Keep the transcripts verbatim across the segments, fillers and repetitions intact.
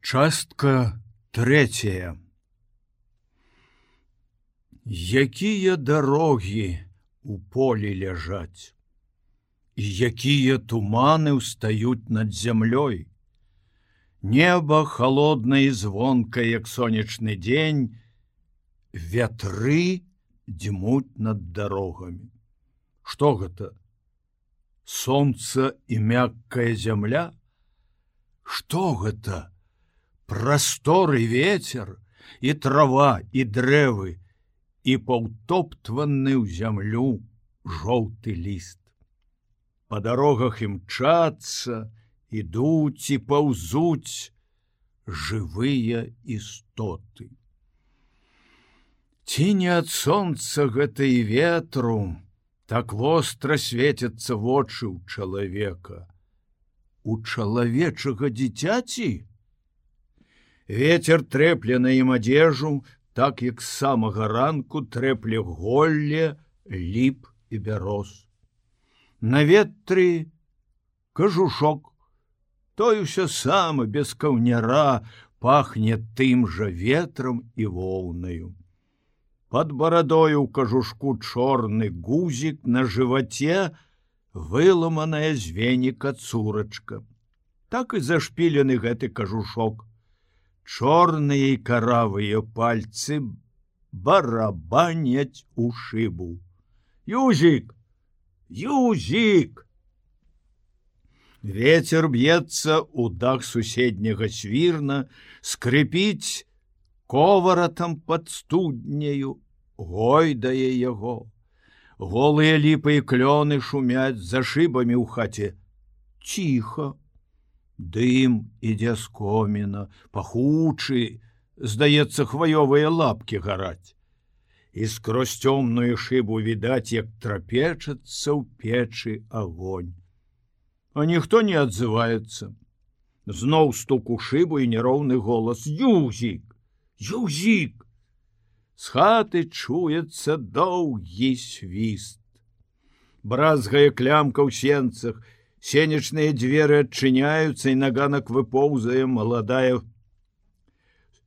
Частка третья. Якія дарогі у полі ляжаць, і якія туманы ўстаюць над зямлёй. Неба холоднае і звонкае, як сонечны дзень, вятры дзьмуць над дарогамі. Што гэта? Сонца і мяккая зямля? Што гэта? Прасторы ветер, і трава, і дрэвы, і паўтоптваны ў зямлю жоўты ліст. Па дарогах імчацца, ідуць і паўзуць жывыя істоты. Ці не ад сонца гэта і ветру так востра свецяцца вочы ў чалавека, у чалавечага дзіцяці? Ветер трэпле на ім адзежу, так як з самага ранку трэпле голле, ліп і бяроз. На ветры кажушок, той усё саме без каўняра пахне тым жа ветрам і воўнаю. Пад барадою ў кажушку чорны гузік, на жываце выламаная з веніка цурачка. Так і зашпілены гэты кажушок. Чорныя і каравыя пальцы барабаняць у шыбу. Юзік! Юзік! Вецер б'ецца ў дах суседняга свірна, скрыпіць коваратам пад студняю, гойдае яго. Голыя ліпы і клёны шумяць за шыбамі ў хаце. Ціха. Дым ідзе з коміна, пахучы, здаецца, хваёвыя лапкі гараць. І скрозь цёмную шыбу відаць, як трапечацца ў печы агонь. А ніхто не адзываецца. Зноў стук у шыбу і няроўны голас: Юзік! Юзік! З хаты чуецца доўгі свіст. Бразгае клямка ў сенцах, сенечныя дзверы адчыняюцца, і на ганак выпоўзае маладая.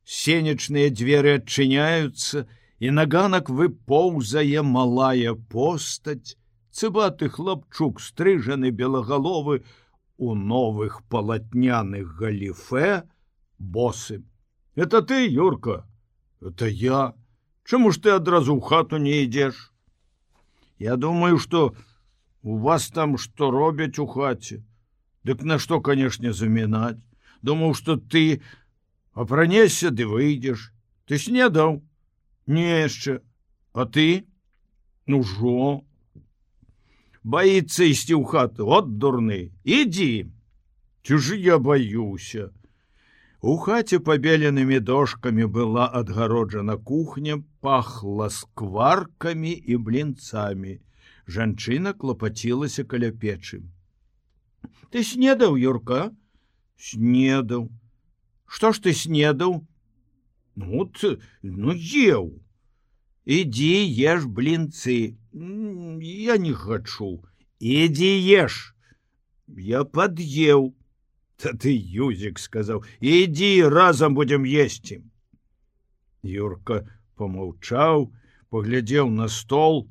Сенечныя дзверы адчыняюцца, і на ганак выпоўзае малая постаць, цыбаты хлапчук, стрыжаны белагаловы у новых палатняных галіфе, босы. Это ты, Юрка? Это я. Чаму ж ты адразу ў хату не ідзеш? Я думаю, што у вас там што робяць у хаце? Дык на што, канешне, замінаць? Думаў, што ты апранешся ды выйдзеш. Ты снедаў? Не яшчэ. А ты? Ну жо. Баіцца ісці ў хату. От дурны. Ідзі. Ці ж я баюся. У хаце пабеленымі дошкамі была адгароджана кухня, пахла скваркамі і блінцамі. Жанчына клапацілася каля печы. Ты снедаў, Юрка? Снедаў. Што ж ты снедаў? Ну, ты, ну еў. Ідзі еш блінцы. Я не хачу. Ідзі еш. Я пад'еў. Та ты, Юзік, сказаў, ідзі, разам будзем есці. Юрка помаўчаў, паглядзеў на стол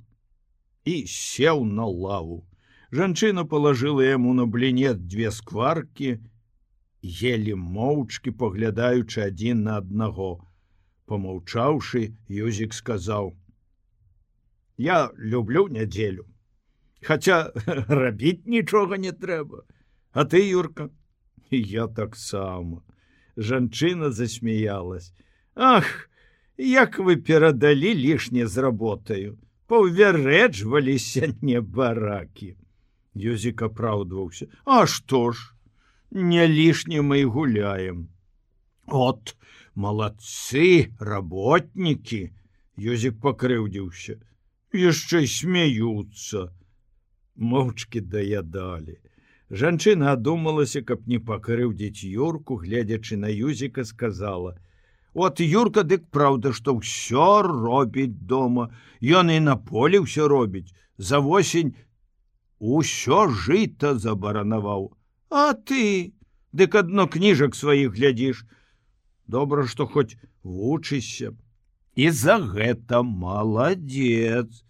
і сеў на лаву. Жанчына палажыла яму на блінет дзве скваркі, елі моўчкі, паглядаючы адзін на аднаго. Помаўчаўшы, Юзік сказаў: Я люблю нядзелю, хаця рабіць нічога не трэба. А ты, Юрка? Я таксама. Жанчына засмяялась. Ах, як вы перадалі лішне з работаю. Паўвярэджваліся небаракі. Юзік апраўдваўся. А што ж? Не лішне мы і гуляем. От, малацы, работнікі. Юзік пакрыўдзіўся. Яшчэ смяюцца. Моўчкі даядалі. Жанчына адумалася, каб не пакрыўдзіць Юрку, гледзячы на Юзіка, сказала: От Юрка, дык праўда, што ўсё робіць дома. Ён і на полі ўсё робіць. За восень усё жыта забаранаваў. А ты? Дык адно кніжак сваіх глядзіш. Добра, што хоць вучышся. І за гэта маладзец.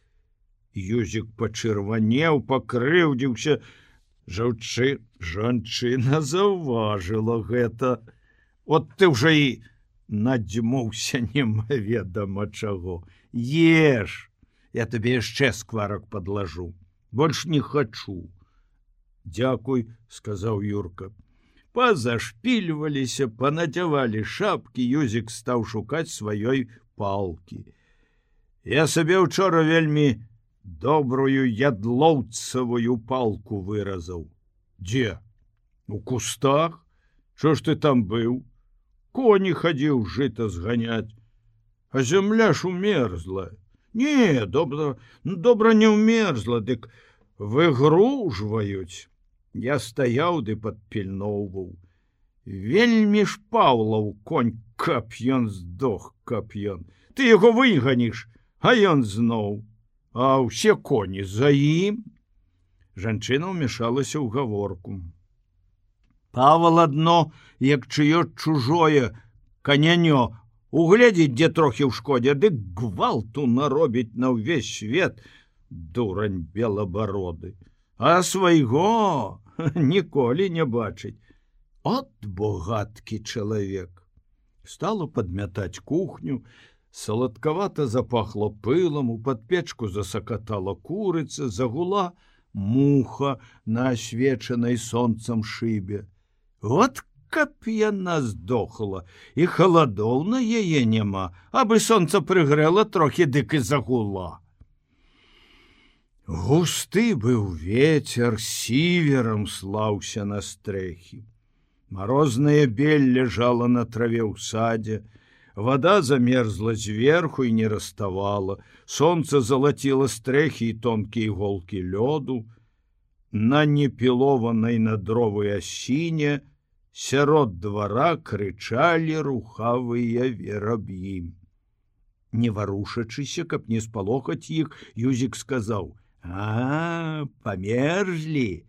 Юзік пачырванеў, пакрыўдзіўся. Жаўчы, жанчына заўважыла гэта. От ты ўжо і надзьмуўся немаведама чаго. Еш, я табе яшчэ скварак падлажу. Больш не хачу. Дзякуй, сказаў Юрка. Пазашпільваліся, панадзявалі шапкі, Юзік стаў шукаць сваёй палкі. Я сабе ўчора вельмі добрую ядлоўцавую палку выразаў. Дзе? У кустах? Чо ж ты там быў? Коні хадзіў жыта зганяць. А зямля ж умерзла. Не, добра, добра не ўмерзла, дык выгружваюць. Я стаяў ды падпільноўваў. Вельмі ж Паўлаў конь, каб ён здох, каб ён. Ты яго выганіш, а ён зноў. А ўсе коні за ім. Жанчына ўмяшалася ў гаворку. Павал адно, як чыё чужое канянё, угледзіць, дзе трохі ў шкодзе, дык гвалту наробіць на ўвесь свет, дурань белабароды. А свайго ніколі не бачыць. От богаткі чалавек. Стала падмятаць кухню, саладкавата запахло пылам, у падпечку засакатала курыца, загула муха на асвечанай сонцам шыбе. От каб яна здохла, і халадоў на яе няма, абы сонца прыгрэла трохі, дык і загула. Густы быў ветер, сіверам слаўся на стрэхі. Марознае бель ляжала на траве ў садзе, вада замерзла зверху і не раставала, сонца залаціла стрэхі і тонкія іголкі лёду. На непілованай на дровы асіне сярод двара крычалі рухавыя вераб'і. Не варушачыся, каб не спалохаць іх, Юзік сказаў: А, памерзлі.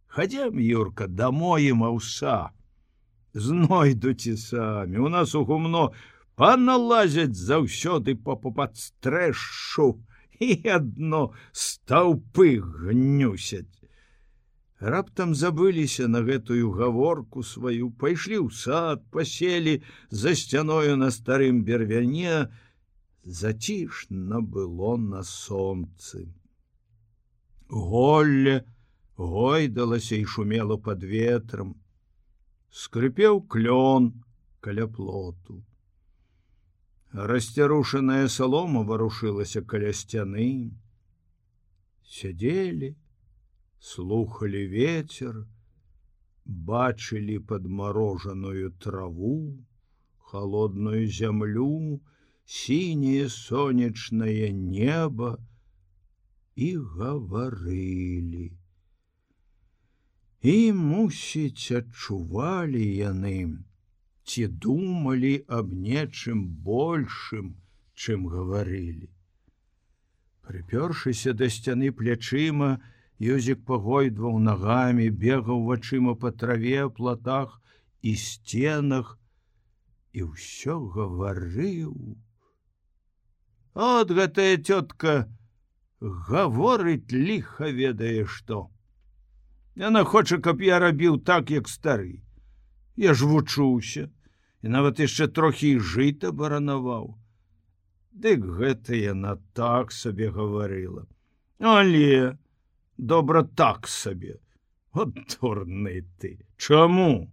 Хадзем, Юрка, дамой ім аўса. Знойдуць і самі. У нас у гумно паналазяць заўсёды па падстрэшу і адно стаўпы гнюсяць. Раптам забыліся на гэтую гаворку сваю, пайшлі ў сад, паселі за сцяною на старым бервяне. Зацішна было на сонцы. Голле гойдалася і шумела пад ветрам. Скрыпеў клён каля плоту. Расцярушаная салома варушылася каля сцяны. Сядзелі, слухалі ветер, бачылі падмарожаную траву, холодную зямлю, сіняе сонечнае неба і гаварылі. І, мусіць, адчувалі яны, ці думалі аб нечым большым, чым гаварылі. Прыпёршыся да сцяны плячыма, Юзік пагойдваў нагамі, бегаў вачыма па траве, платах і сценах, і ўсё гаварыў. От гэтая цётка гаворыць ліха ведае што. Яна хоча, каб я рабіў так, як стары. Я ж вучуўся, і нават яшчэ трохі і жыта баранаваў. Дык гэта яна так сабе гаварыла. Але добра так сабе. От дурны ты. Чаму?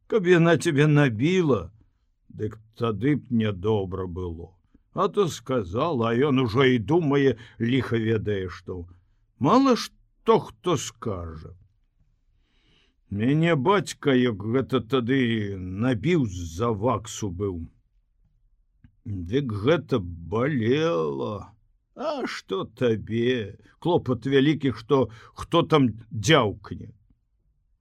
Каб яна цябе набіла, дык тады б нядобра было. А то сказала, а ён ужо і думае, ліха ведае што. Мала што хто скажа. Мяне бацька, як гэта тады набіў з-за ваксу быў. Дык гэта балела. А што табе? Клопат вялікі, што хто там дзяўкне.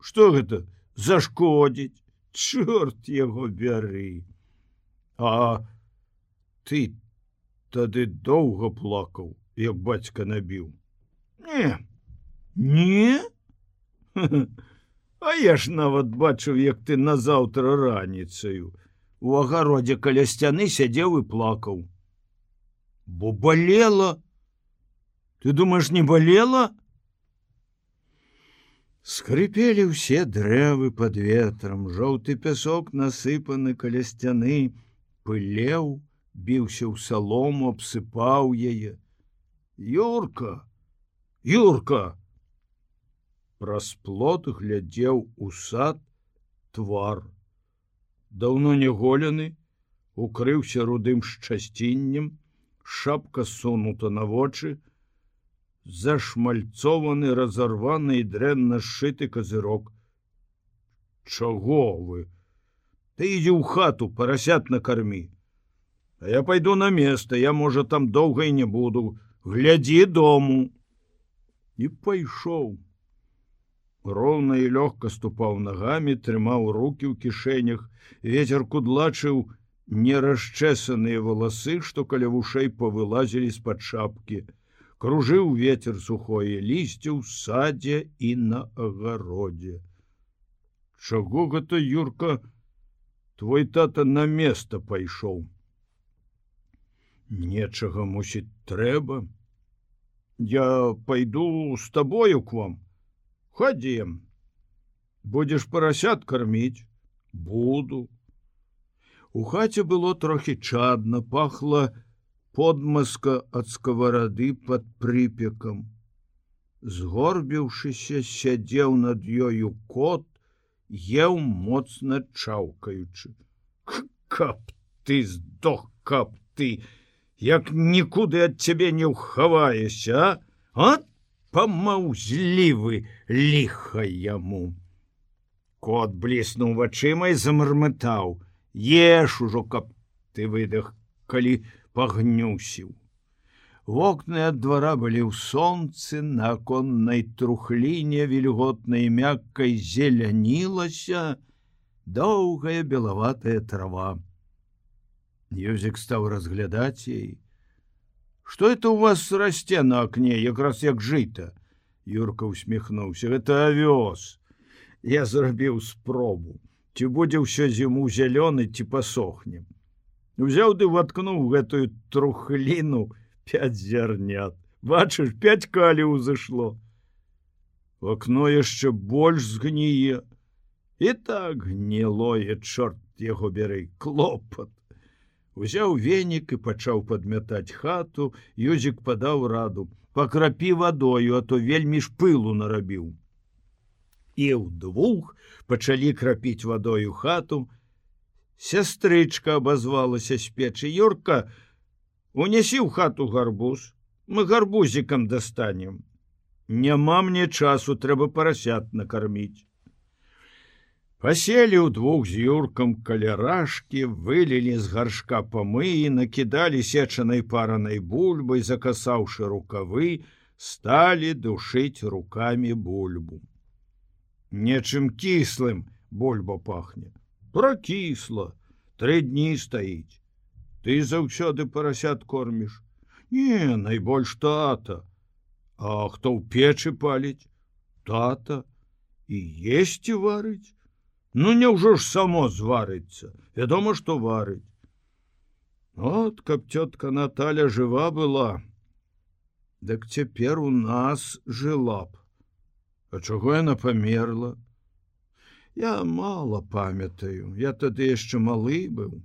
Што гэта? Зашкодзіць? Чорт яго бяры. А ты тады доўга плакаў, як бацька набіў. Не, не? А я ж нават бачыў, як ты назаўтра раніцаю. у агародзе каля сцяны сядзеў і плакаў. Бо балела. Ты думаеш, не балела? Скрыпелі ўсе дрэвы под ветрам, жоўты пясок насыпаны каля сцяны, пылеў, біўся ў салому, абсыпаў яе. Юрка, Юрка! Праз плот глядзеў у сад твар. Даўно не голены, укрыўся рудым шчасціннем, шапка сунута на вочы, зашмальцованы, разарваны і дрэнна сшыты казырок. Чаго вы? Ты ідзі ў хату, парасят накармі. А я пайду на место, я, можа, там доўга і не буду. Глядзі дому. І пайшоў. Роўна і лёгка ступаў нагамі, трымаў рукі ў кішэнях, ветер кудлачыў нерасчэсаныя валасы, што каля вушэй павылазілі з-пад шапкі. Кружыў ветер сухое лісце ў садзе і на агародзе. Чаго гэта, Юрка, твой тата на место пайшоў? Нечага, мусіць, трэба. Я пайду з табою к вам. Ходзем. Будзеш парасят карміць? Буду. У хаце было трохі чадна, пахла подмазка ад скаварады пад прыпекам. Згорбіўшыся, сядзеў над ёю кот, еў моцна чаўкаючы. Каб ты здох, каб ты, як нікуды ад цябе не ўхаваешся, а? От памаўзлівы, ліха яму. Кот бліснуў вачыма і замармытаў. Еш ужо, каб ты выдах, калі пагнюсіў. Вокны ад двара былі ў сонцы, на аконнай трухліне вільготнай мяккай зелянілася доўгая белаватая трава. Юзік стаў разглядаць яе. Што это у вас расце на акне, якраз як жыта? Юрка усміхнуўся. Гэта авёс. Я зрабіў спробу. Ці будзе ўсё зіму зялёны, ці пасохне. Узяў ды ваткнуў гэтую трухліну пяць зярнят. Бачыш, пяць каліў зышло. Акно яшчэ больш згніе. І так гнілое, чорт яго бяры, клопат. Узяў венік і пачаў падмятаць хату, Юзік падаў раду. Пакрапі вадою, а то вельмі ж пылу нарабіў. І ўдвух пачалі крапіць вадою хату. Сястрычка абазвалася з печы. Юрка, унесі ў хату гарбуз. Мы гарбузікам дастанем. Няма мне часу, трэба парасят накарміць. Паселі ўдвух з Юркам каля рашкі, вылілі з гаршка памыі, накідалі сечанай паранай бульбай, закасаўшы рукавы, сталі душыць рукамі бульбу. Нечым кіслым бульба пахне. Пракісла, тры дні стаіць. Ты заўсёды парасят корміш? Не, найбольш тата. А хто ў печы паліць? Тата. І есці варыць? Ну, няўжо ж само зварыцца? Вядома, што варыць. От, каб цётка Наталя жыва была, дык цяпер у нас жыла б. А чаго яна памерла? Я мала памятаю, я тады яшчэ малы быў.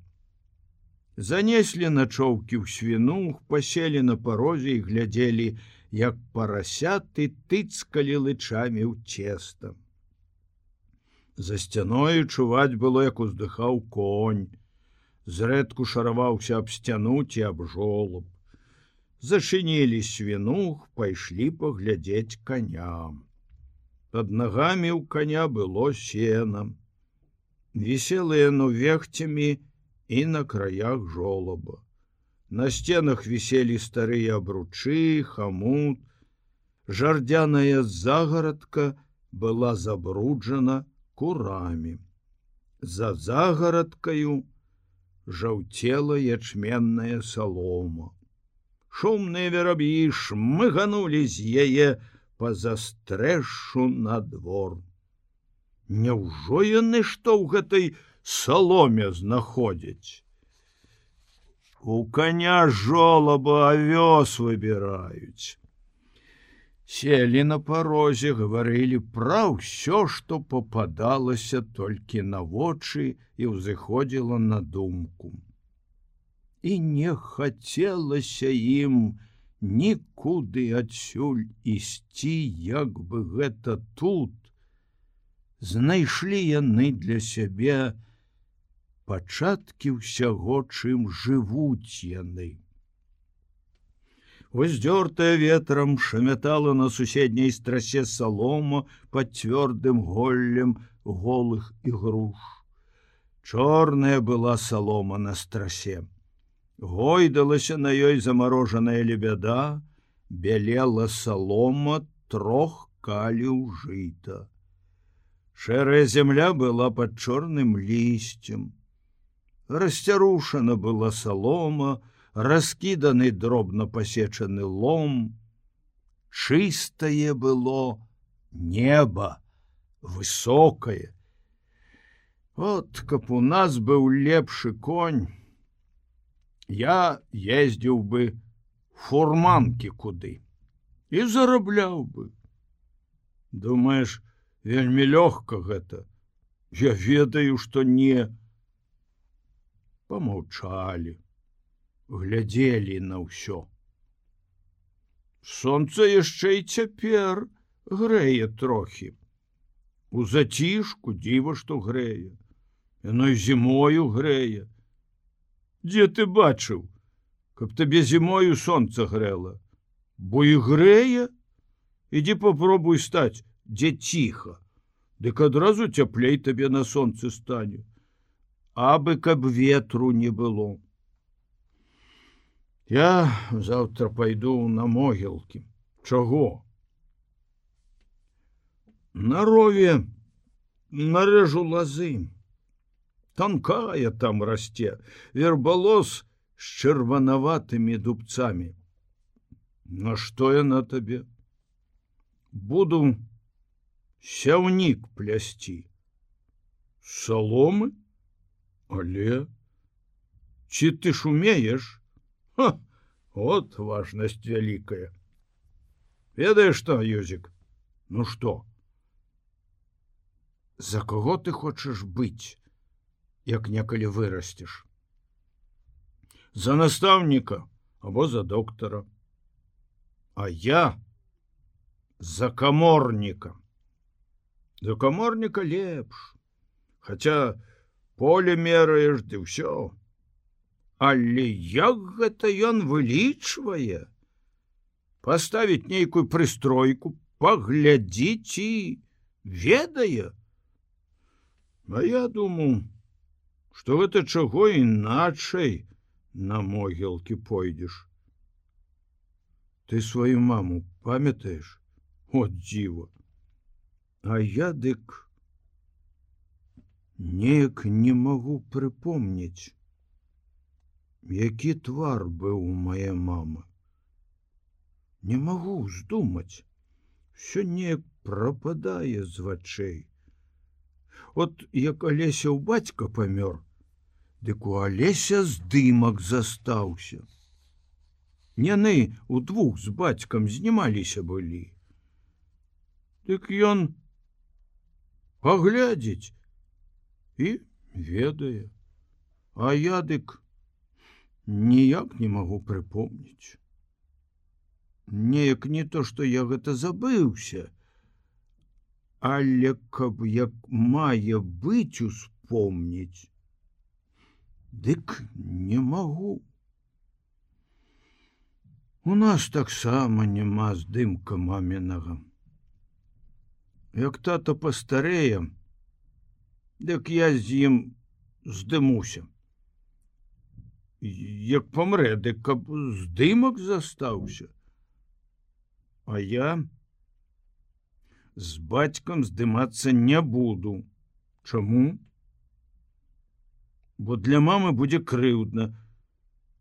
Занеслі начоўкі ў свінух, паселі на парозе і глядзелі, як парасяты тыцкалі лычамі ў цеста. За сцяною чуваць было, як уздыхаў конь. Зрэдку шараваўся аб сцяну ці аб жолаб. Зачынілі свінух, пайшлі паглядзець каням. Пад нагамі ў коня было сена. Вісело яно вехцямі і на краях жолаба. На сценах віселі старыя абручы, хамут. Жардзяная загарадка была забруджана курамі. За загарадкаю жаўцела ячменная салома. Шумныя вераб'і шмыганулі з яе па застрэшу на двор. Няўжо яны што ў гэтай саломе знаходзяць. У коня жолаба авёс выбіраюць. Селі на парозе, гаварылі пра ўсё, што попадалася толькі на вочы і ўзыходзіла на думку. І не хацелася ім нікуды адсюль ісці, як бы гэта тут. Знайшлі яны для сябе пачаткі ўсяго, чым жывуць яны. Уздёртая ветрам шамятала на суседняй страсе салома пад цвёрдым голлем голых ігруш. Чорная была салома на страсе. Гойдалася на ёй замарожаная лебяда, бялела салома трох каліў жыта. Шэрая зямля была пад чорным лісцем. Расцярушана была салома, раскіданы дробна пасечаны лом. Чыстае было неба, высокае. От, каб у нас быў лепшы конь, я ездзіў бы фурманкі куды і зарабляў бы. Думаеш, вельмі лёгка гэта? Я ведаю, што не. Памаўчалі, глядзелі на ўсё. Сонца яшчэ і цяпер грэе трохі. У зацішку дзіва, што грэе. Яно і зімою грэе. Дзе ты бачыў, каб табе зімою сонца грэла? Бо і грэе? Ідзі попробуй стаць, дзе ціха. Дык адразу цяплей табе на сонцы стане. Абы каб ветру не было. Я заўтра пайду на могілкі. Чаго? На рове нарэжу лазы. Танкая там расце, вербалос з чырванаватымі дубцамі. На што яна табе? Буду сяўнік плясці. Саломы? Але? Ці ты ж умееш? Ха! От важнасць вялікая. Ведаеш што, Юзік? Ну што? За каго ты хочаш быць, як некалі вырасцеш? За настаўніка або за доктара. А я за каморніка. За каморніка лепш. Хаця поле мераеш, ды ўсё. Але як гэта ён вылічвае? Паставіць нейкую прыстройку, паглядзіць і ведае. А я думаю, што гэта чаго іначай на могілкі пойдзеш. Ты сваю маму памятаеш? От дзіва. А я дык неяк не магу прыпомніць, які твар быў у мае мамы. Не магу здумаць. Всё неяк прападае з вачэй. От як Алеся ў бацька памёр, дык у Алеся здымак застаўся. Яны удвух з бацькам знімаліся былі. Дык ён паглядзіць і ведае. А я дык ніяк не магу прыпомніць. Неяк не то, што я гэта забыўся, але каб як мае быць успомніць, дык не магу. У нас таксама няма здымка мамінага. Як тата пастарэе, дык я з ім здымуся. Як памрэ, дык каб здымак застаўся. А я з бацькам здымацца не буду. Чаму? Бо для мамы будзе крыўдна,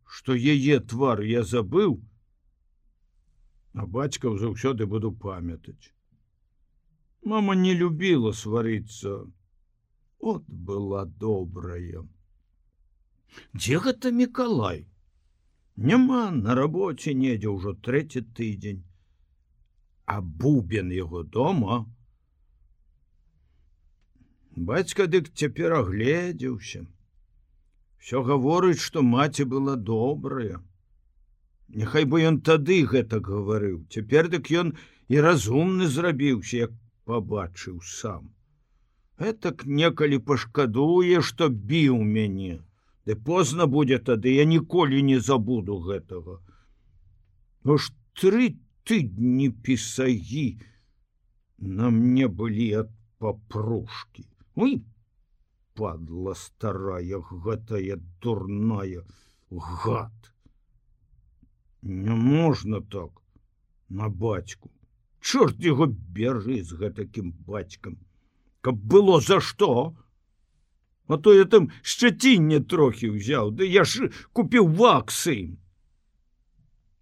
што яе твар я забыў, а бацькаў заўсёды буду памятаць. Мама не любіла сварыцца. от была добрая. Дзе гэта Мікалай? Няма на рабоце недзе ўжо трэці тыдзень. А Бубен яго дома? Бацька дык цяпер агледзеўся. Всё гаворыць, што маці была добрая. Няхай бы ён тады гэта гаварыў. Цяпер дык ён і разумны зрабіўся, як пабачыў сам. Гэтак некалі пашкадуе, што біў мяне. Ды позна будзе тады, я ніколі не забуду гэтага. Ну ж тры тыдні пісагі на мне былі ад папрушкі. Ой, падла старая, гэтая дурная, гад. Не можна так на бацьку. Чорт яго бяры з гэтакім бацькам. Каб было за што? А то я там шчацінне трохі ўзяў, да я ж купіў ваксы.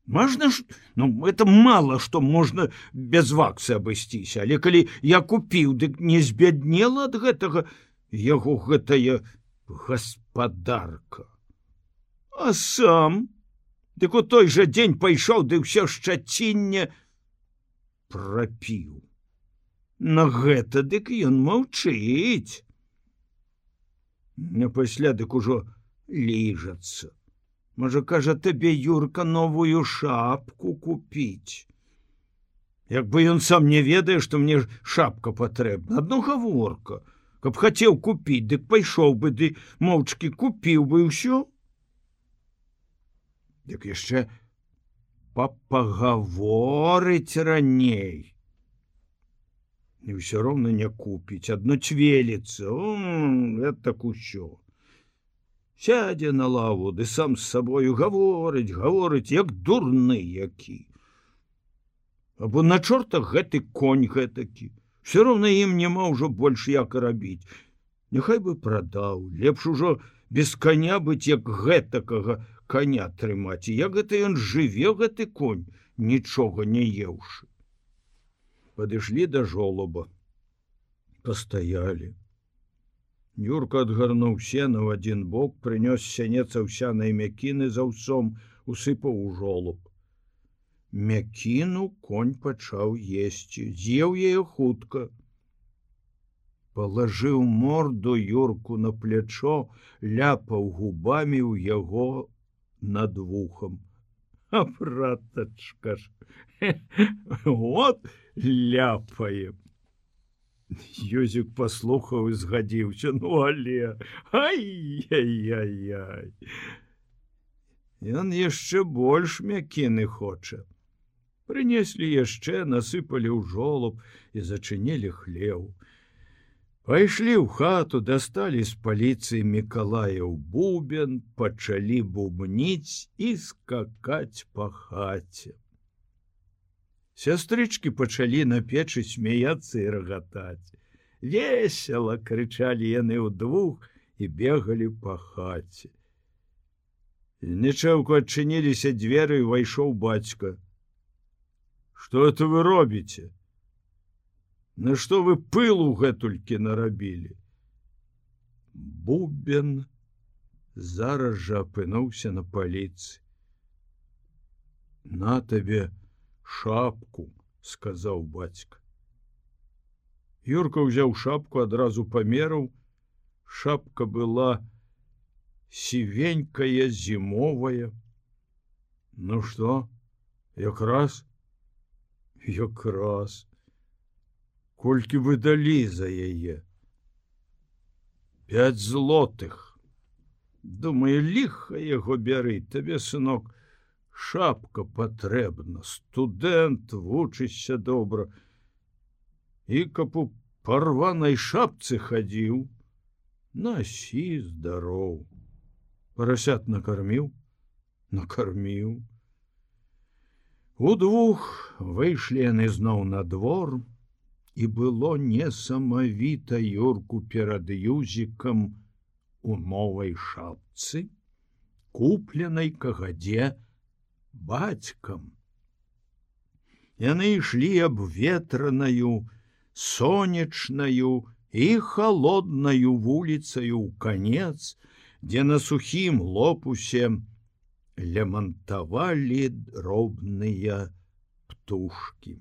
Можна ж, ну, это мало, што можна без ваксы абысціся, але калі я купіў, дык не збяднела ад гэтага яго гэтая гаспадарка. А сам, дык у той жа дзень пайшоў, ды ўсё шчацінне прапіў. На гэта дык ён маўчыць. А пасля дык ужо ліжацца. Можа, кажа, табе, Юрка, новую шапку купіць. Як бы ён сам не ведае, што мне шапка патрэбна. Адно гаворка. Каб хацеў купіць, дык пайшоў бы, ды моўчкі купіў бы ўсё. Дык яшчэ папагаворыць раней. І ўсё роўна не купіць, адно цвеліцца, так усё. Сядзе на лаву, ды сам з сабою гаворыць, гаворыць, як дурны які. Або на чортах гэты конь гэтакі. Всё роўна ім няма ўжо больш як рабіць. Няхай бы прадаў, лепш ужо без коня быць, як гэтакага коня трымаць. І як гэта ён жыве, гэты конь, нічога не еўшы. Падышлі да жолаба. Пастаялі. Юрка адгарнуў сена ў адзін бок, прынёс сянец аўсянай мякіны з аўсом, усыпаў у жолаб. Мякіну конь пачаў есці, з'еў яе хутка. Палажыў морду Юрку на плячо, ляпаў губамі ў яго над вухам. А братачка ж, вот ляпае. Ёзік паслухаў і згадзіўся, ну але, ай-яй-яй-яй. Ён яшчэ больш мякіны хоча. Прынеслі яшчэ, насыпалі ў жолаб і зачынілі хлеў. Пайшлі ў хату, дасталі з паліцыі Мікалаяў бубен, пачалі бубніць і скакаць па хаце. Сястрычкі пачалі на печы смяяцца і рагатаць. Весела крычалі яны ўдвух і бегалі па хаце. Нечаўку адчыніліся дзверы і ўвайшоў бацька. Што это вы робіце? На што вы пылу гэтулькі нарабілі? Бубен зараз жа апынуўся на паліцыі. На табе шапку, сказаў бацька. Юрка ўзяў шапку, адразу памераў. Шапка была сівенькая, зімовая. Ну што, якраз? Якраз. Колькі вы далі за яе? Пяць злотых. Думаю, ліха яго бяры, табе, сынок, шапка патрэбна, студэнт, вучышся добра. І каб у парванай шапцы хадзіў, насі здароў. Парасят накарміў? Накарміў. Удвух выйшлі яны зноў на двор, і было несамавіта Юрку перад Юзікам у новай шапцы, купленай кагадзе бацькам. Яны ішлі абветранаю, сонечнаю і холоднаю вуліцаю ў канец, дзе на сухім лопусе лямантавалі дробныя птушкі.